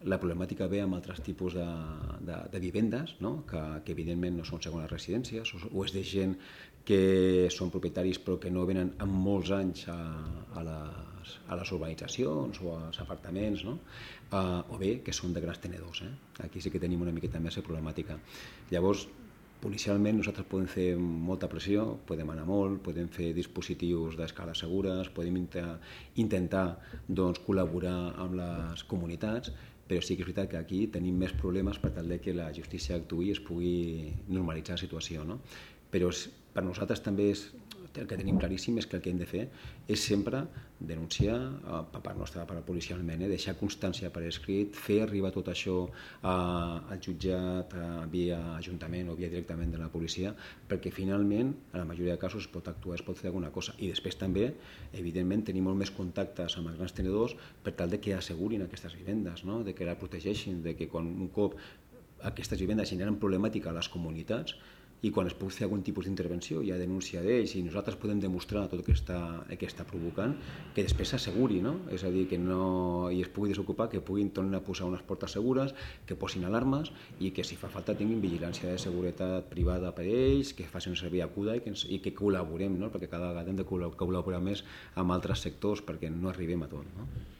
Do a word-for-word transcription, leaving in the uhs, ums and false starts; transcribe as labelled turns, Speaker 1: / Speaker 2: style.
Speaker 1: la problemàtica ve amb altres tipus de, de, de vivendes, no? que, que evidentment no són segones residències, o, o és de gent que són propietaris però que no venen en molts anys a, a, les, a les urbanitzacions o als apartaments, no? uh, o bé que són de grans tenedors. Eh? Aquí sí que tenim una miqueta més de problemàtica. Llavors, policialment nosaltres podem fer molta pressió, podem anar molt, podem fer dispositius d'escales segures, podem intentar doncs, col·laborar amb les comunitats, però sí que és veritat que aquí tenim més problemes per tal de que la justícia actuï i es pugui normalitzar la situació. No? Però per nosaltres també és, el que tenim claríssim és que el que hem de fer és sempre denunciar per part nostra, per policialment, eh? deixar constància per escrit, fer arribar tot això a, al jutjat a, via ajuntament o via directament de la policia, perquè finalment, en la majoria de casos, es pot actuar, es pot fer alguna cosa. I després també, evidentment, tenim molt més contactes amb els grans tenedors per tal de que assegurin aquestes vivendes, no? De que la protegeixin, de que quan un cop aquestes vivendes generen problemàtica a les comunitats, i quan es pugui fer algun tipus d'intervenció hi ha denúncia d'ells i nosaltres podem demostrar tot el que està, el que està provocant, que després s'asseguri, no? És a dir, que no i es pugui desocupar, que puguin tornar a posar unes portes segures, que posin alarmes i que si fa falta tinguin vigilància de seguretat privada per ells, que facin servir acuda i que, ens, i que col·laborem, no? Perquè cada vegada hem de col·laborar més amb altres sectors perquè no arribem a tot. No?